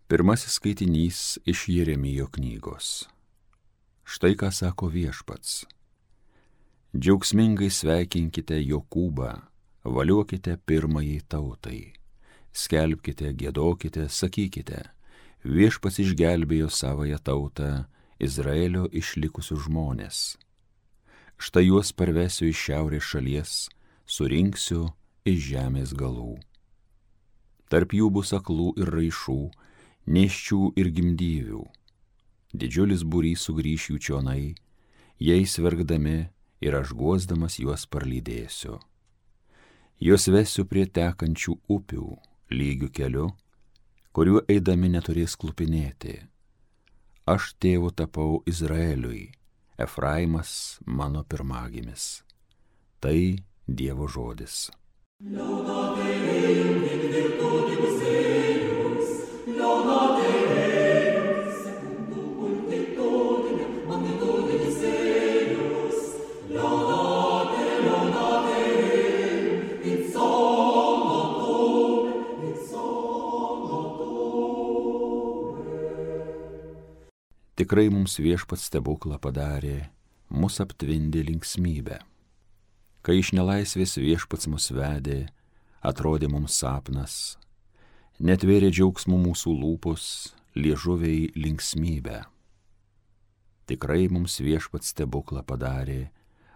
Pirmasis skaitinys iš Jeremijo knygos. Štai ką sako Viešpats. Džiaugsmingai sveikinkite Jokūbą, valiuokite pirmajai tautai. Skelbkite, giedokite, sakykite, Viešpats išgelbėjo savąją tautą, Izraelio išlikusius žmonės. Štai juos parvesiu iš šiaurės šalies, surinksiu iš žemės galų. Tarp jų bus aklų ir raišų, nėščių ir gimdyvių. Didžiulis būrys sugrįš jų čionai, jais verkdami ir aš guosdamas juos parlydėsiu. Juos vesiu prie tekančių upių, lygių keliu, kuriuo eidami neturės klupinėti. Aš tėvu tapau Izraeliui, Efraimas mano pirmagimis. Tai Dievo žodis. Tikrai mums Viešpats stebuklą padarė, mus aptvindė linksmybę. Kai iš nelaisvės Viešpats mus vedė, atrodė mums sapnas, netvėrė džiaugsmų mūsų lūpos, liežuviai linksmybę. Tikrai mums Viešpats stebuklą padarė,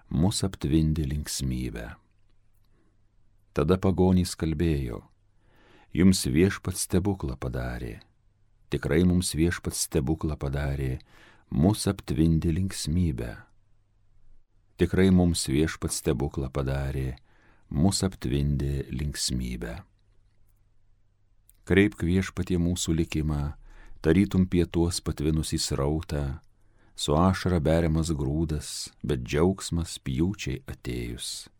mus aptvindė linksmybę. Tada pagonys kalbėjo, jums Viešpats stebuklą padarė. Tikrai mums Viešpats stebuklą padarė, mus aptvindė linksmybę. Tikrai mums Viešpats stebuklą padarė, mus aptvindė linksmybę. Kreipk Viešpatie mūsų likimą, tarytum pietuos patvinusį srautą, su ašara beriamas grūdas, bet džiaugsmas pjūčiai atėjus.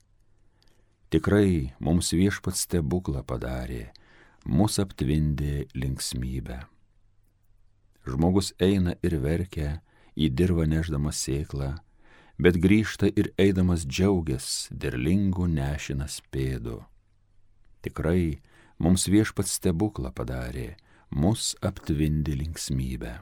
Tikrai mums Viešpats stebuklą padarė, mus aptvindė linksmybę. Žmogus eina ir verkia, į dirvą nešdamas sėklą, bet grįžta ir eidamas džiaugias, derlingų nešinas pėdų. Tikrai mums Viešpats stebuklą padarė, mus aptvindė linksmybę.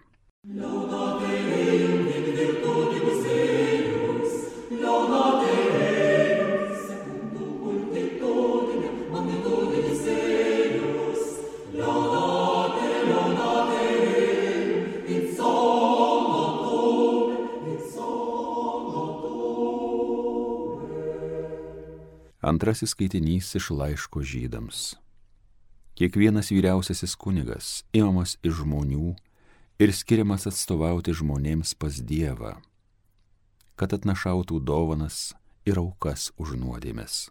Antrasis skaitinys iš laiško Žydams. Kiekvienas vyriausiasis kunigas imamas iš žmonių ir skiriamas atstovauti žmonėms pas Dievą, kad atnašautų dovanas ir aukas už nuodėmes.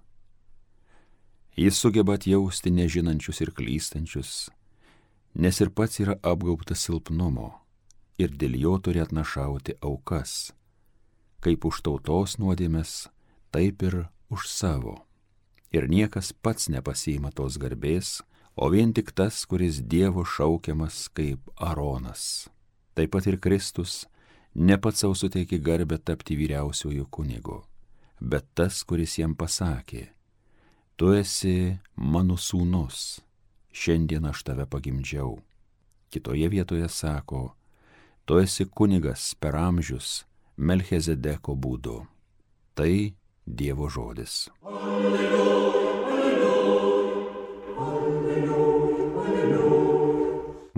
Jis sugeba atjausti nežinančius ir klystančius, nes ir pats yra apgaubtas silpnumo ir dėl jo turi atnašauti aukas, kaip už tautos nuodėmes, taip ir už savo. Ir niekas pats nepasiima tos garbės, o vien tik tas, kuris Dievo šaukiamas kaip Aronas. Taip pat ir Kristus ne pats savo suteikė garbę tapti vyriausiuoju kunigu, bet tas, kuris jam pasakė, tu esi mano sūnus, šiandien aš tave pagimdžiau. Kitoje vietoje sako, tu esi kunigas per amžius Melchizedeko būdu. Tai Dievo žodis.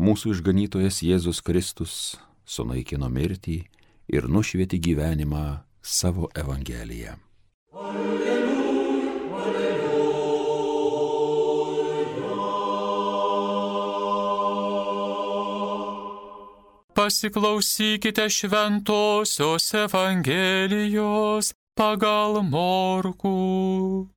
Mūsų išganytojas Jėzus Kristus sunaikino mirtį ir nušvietė gyvenimą savo Evangeliją. Pasiklausykite šventosios Evangelijos pagal Morkų.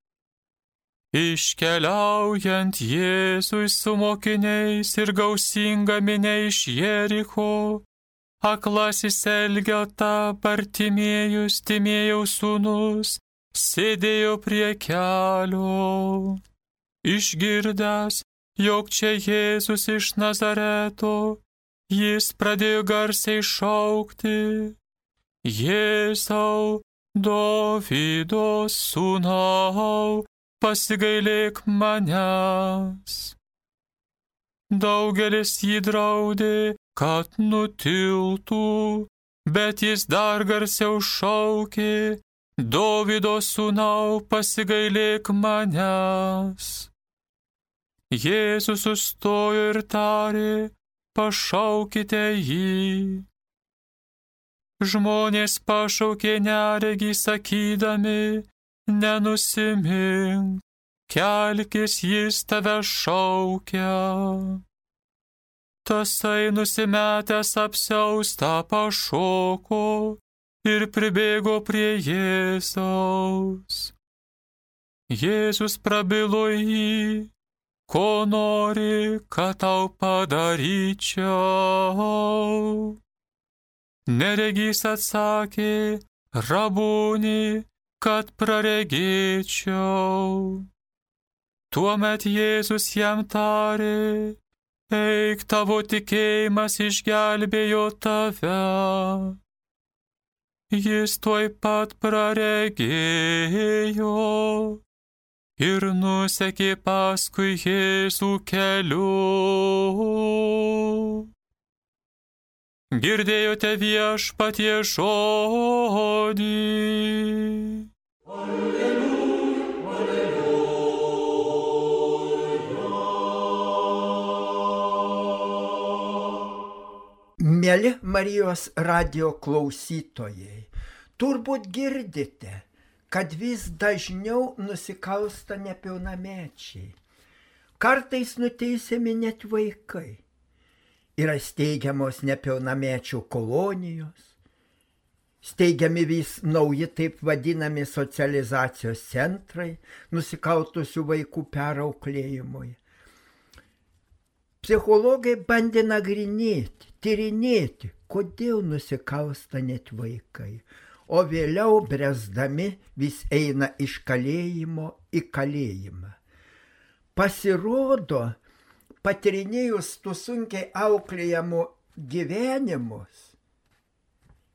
Iškeliaujant Jėzui su mokiniais ir gausinga minia iš Jericho, aklasis Elgeta Bartimiejus, Timėjaus sūnus, sėdėjo prie kelio. Išgirdęs, jog čia Jėzus iš Nazareto, jis pradėjo garsiai šaukti: Jėzau, Dovydo sūnau, pasigailėk manęs. Daugelis jį draudė, kad nutiltų, bet jis dar garsiau šaukė: Dovydo sūnau, pasigailėk manęs. Jėzus sustojo ir tarė: pašaukite jį. Žmonės pašaukė neregį sakydami: nenusimink, kelkis, jis tave šaukia. Tasai nusimetęs apsiaustą pašoko ir pribėgo prie Jėzaus. Jėzus prabilo jį: ko nori, kad tau padaryčiau? Neregys atsakė: Rabūni, kad praregėčiau. Tuomet Jėzus jam tarė: eik, tavo tikėjimas išgelbėjo tave. Jis tuoj pat praregėjo ir nusekė paskui Jėzų keliu. Girdėjote Viešpatie žodį. Mieli Marijos radijo klausytojai, turbūt girdite, kad vis dažniau nusikalsta nepilnamečiai. Kartais nuteisiami net vaikai. Yra steigiamos nepilnamečių kolonijos, steigiami vis nauji taip vadinami socializacijos centrai nusikaltusių vaikų perauklėjimui. Psichologai bandė nagrinėti, tyrinėti, kodėl nusikalsta net vaikai, o vėliau bręsdami vis eina iš kalėjimo į kalėjimą. Pasirodo, patyrinėjus tų sunkiai auklėjamų gyvenimus,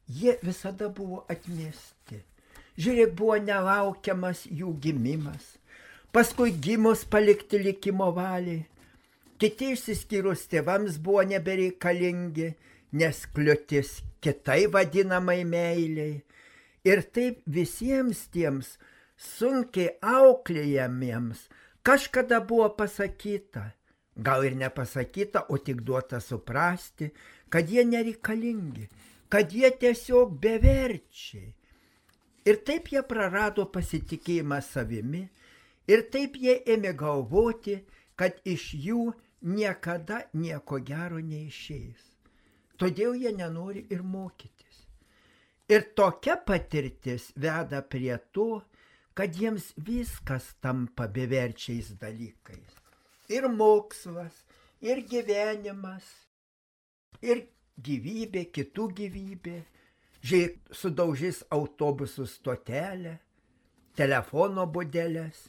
jie visada buvo atmesti. Žiūrėk, buvo nelaukiamas jų gimimas, paskui gimus palikti likimo valiai. Kiti išsiskyrus tėvams buvo nebereikalingi, nes kliūtis kitai vadinamai meiliai. Ir taip visiems tiems sunkiai auklėjamiems kažkada buvo pasakyta, gal ir nepasakyta, o tik duota suprasti, kad jie nereikalingi, kad jie tiesiog beverčiai. Ir taip jie prarado pasitikėjimą savimi, ir taip jie ėmė galvoti, kad iš jų niekada nieko gero neišeis. Todėl jie nenori ir mokytis. Ir tokia patirtis veda prie to, kad jiems viskas tampa beverčiais dalykais. Ir mokslas, ir gyvenimas, ir gyvybė, kitų gyvybė. Žiūrėk, sudaužys autobusų stotelę, telefono būdelės,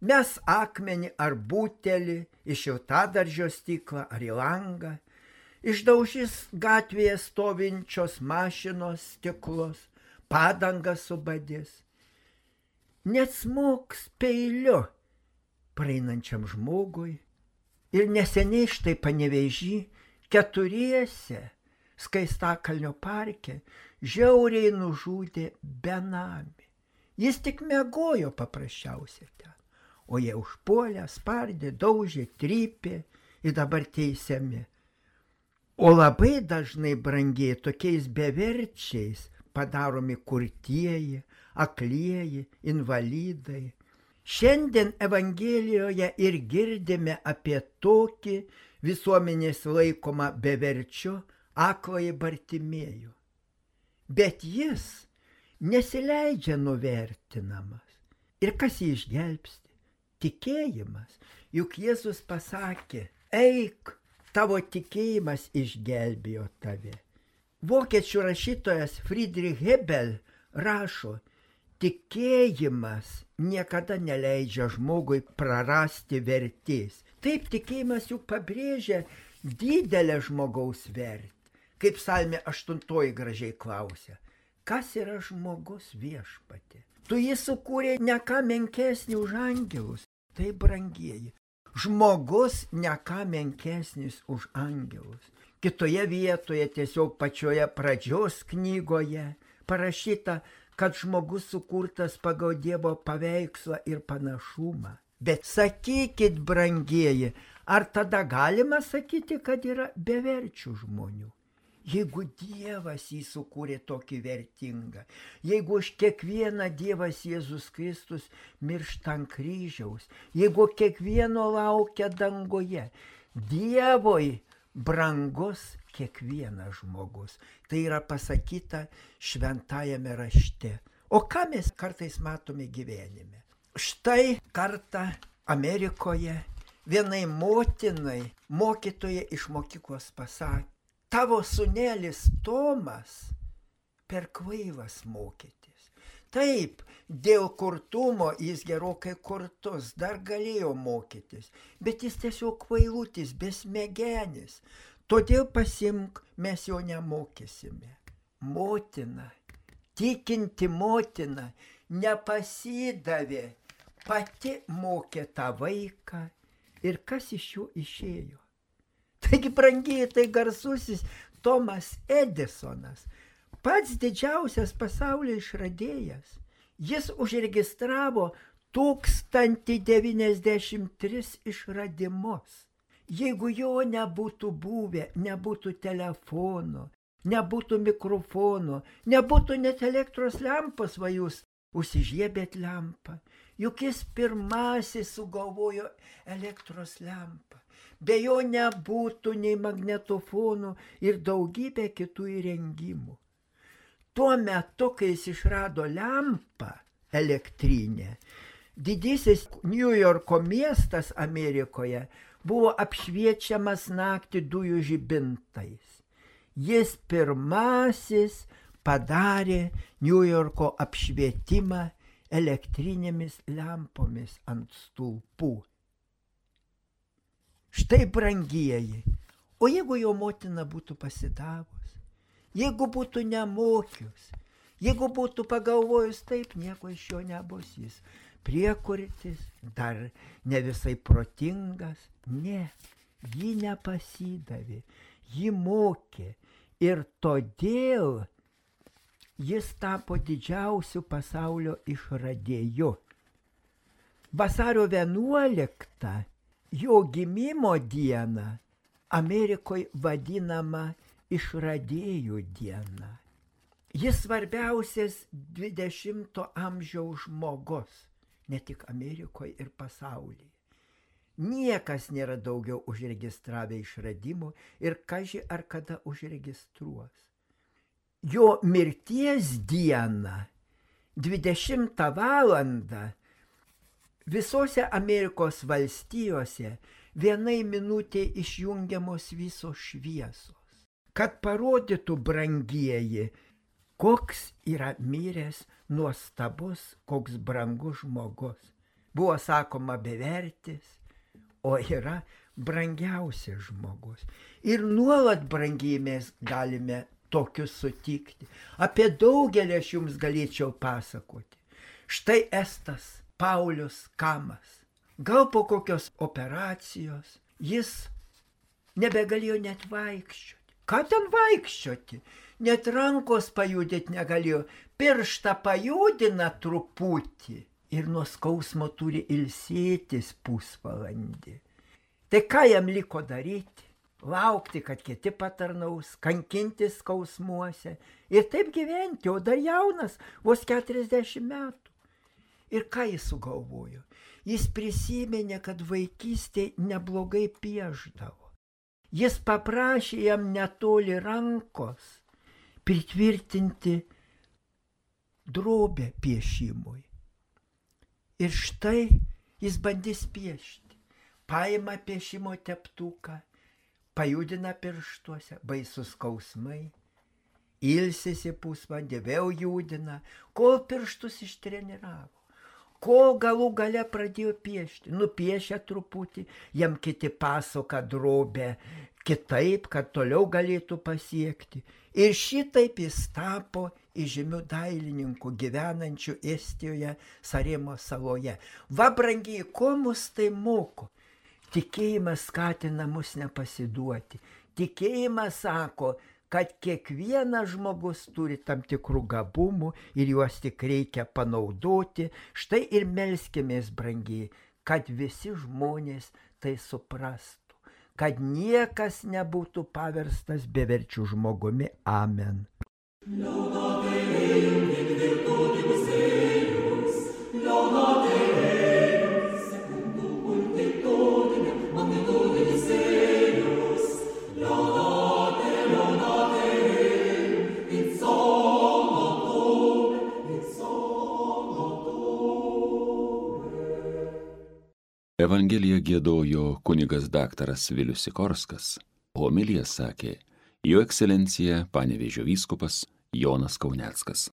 mes akmenį ar butelį iš šiltadaržio stiklą ar į langą, išdaužys gatvėje stovinčios mašinos stiklus, padangas subadys, net smogs peiliu praeinančiam žmogui. Ir neseniai štai Panevėžy keturiese Skaistakalnio parke žiauriai nužudė benamį. Jis tik miegojo paprasčiausiai ten. O jie užpuolė, spardė, daužė, trypė ir dabar teisiami. O labai dažnai, brangiai, tokiais beverčiais padaromi kurtieji, aklieji, invalidai. Šiandien Evangelijoje ir girdime apie tokį visuomenės laikomą beverčiu akląjį Bartimiejų. Bet jis nesileidžia nuvertinamas. Ir kas jį išgelbsti? Tikėjimas. Juk Jėzus pasakė: eik, tavo tikėjimas išgelbėjo tave. Vokiečių rašytojas Friedrich Hebel rašo: tikėjimas niekada neleidžia žmogui prarasti vertės. Taip, tikėjimas juk pabrėžia didelę žmogaus vertę. Kaip Psalmė 8 gražiai klausia: kas yra žmogus, Viešpatie? Tu jį sukūrė ne ką menkesnį už angelus. Tai, brangieji, Žmogus ne ką menkesnis už angelus. Kitoje vietoje, tiesiog pačioje pradžios knygoje, parašyta, kad žmogus sukurtas pagal Dievo paveikslą ir panašumą. Bet sakykit, brangieji, ar tada galima sakyti, kad yra beverčių žmonių? Jeigu Dievas jį sukūrė tokį vertingą, jeigu už kiekvieną Dievas Jėzus Kristus miršta ant kryžiaus, jeigu kiekvieno laukia dangoje, Dievui brangus kiekvienas žmogus. Tai yra pasakyta šventajame rašte. O ką mes kartais matome gyvenime? Štai kartą Amerikoje vienai motinai mokytoja iš mokyklos pasakė, tavo sūnelis Tomas per kvailas mokytis. Taip, dėl kurtumo jis gerokai kurtus, dar galėjo mokytis, bet jis tiesiog kvailutis, besmegenis. Todėl pasimk, mes jo nemokysime. Motina, tikinti motina, nepasidavė, pati mokė tą vaiką ir kas iš jo išėjo. Taigi, brangiai, tai garsusis Tomas Edisonas, pats didžiausias pasaulio išradėjas. Jis užregistravo 1093 išradimus. Jeigu jo nebūtų buvę, nebūtų telefono, nebūtų mikrofono, nebūtų net elektros lempos, va jūs užsižiebėt lempą. Juk jis pirmasis sugalvojo elektros lempą. Be jo nebūtų nei magnetofonų ir daugybė kitų įrengimų. Tuo metu, kai jis išrado lempą elektrinę, didysis New Yorko miestas Amerikoje buvo apšviečiamas naktį dujų žibintais. Jis pirmasis padarė New Yorko apšvietimą elektrinėmis lempomis ant stulpų. Štai, brangieji, o jeigu jo motina būtų pasidavus, jeigu būtų nemokius, jeigu būtų pagalvojus, taip, nieko iš jo nebus, jis priekurtis, dar ne visai protingas, ne, ji nepasidavė, ji mokė ir todėl jis tapo didžiausiu pasaulio išradėju. Vasario 11 jo gimimo diena Amerikoje vadinama išradėjų diena. Jis svarbiausias 20 amžiaus žmogus, ne tik Amerikoje ir pasaulyje. Niekas nėra daugiau užregistravę išradimų ir kaži ar kada užregistruos. Jo mirties dieną, 20 valandą, visose Amerikos valstijose vienai minutė išjungiamos visos šviesos, kad parodytų, brangieji, koks yra miręs nuostabus, koks brangus žmogus. Buvo sakoma bevertis, o yra brangiausias žmogus. Ir nuolat, brangiai, mes galime tokius sutikti. Apie daugelį aš jums galėčiau pasakoti. Štai estas Paulius Kamas. Gal po kokios operacijos jis nebegalėjo net vaikščioti. Ką ten vaikščioti? Net rankos pajudėti negalėjo. Pirštą pajudina truputį ir nuo skausmo turi ilsėtis pusvalandį. Tai ką jam liko daryti? Laukti, kad kiti patarnaus, kankintis skausmuose ir taip gyventi, o dar jaunas, vos 40 metų. Ir ką jis sugalvojo? Jis prisiminė, kad vaikystėje neblogai piešdavo. Jis paprašė jam netoli rankos pritvirtinti drobę piešimui. Ir štai jis bandys piešti. Paima piešimo teptuką, pajudina pirštuose, baisus skausmai, ilsisi pusvalandį, vėl judina, kol pirštus ištreniravo. Kol galų gale pradėjo piešti, nupiešė truputį, jam kiti pasoka drobę kitaip, kad toliau galėtų pasiekti. Ir šitaip jis tapo įžymiu dailininku gyvenančiu Estijoje Saremos saloje. Va, brangiai, ko mus tai moko? Tikėjimas skatina mus nepasiduoti. Tikėjimas sako, kad kiekvienas žmogus turi tam tikrų gabumų ir juos tik reikia panaudoti. Štai ir melskimės, brangiai, kad visi žmonės tai suprastų, kad niekas nebūtų paverstas beverčių žmogumi. Amen. Evangeliją giedojo kunigas daktaras Vilius Sikorskas, homiliją sakė Jo ekscelencija Panevėžio vyskupas Jonas Kauneckas.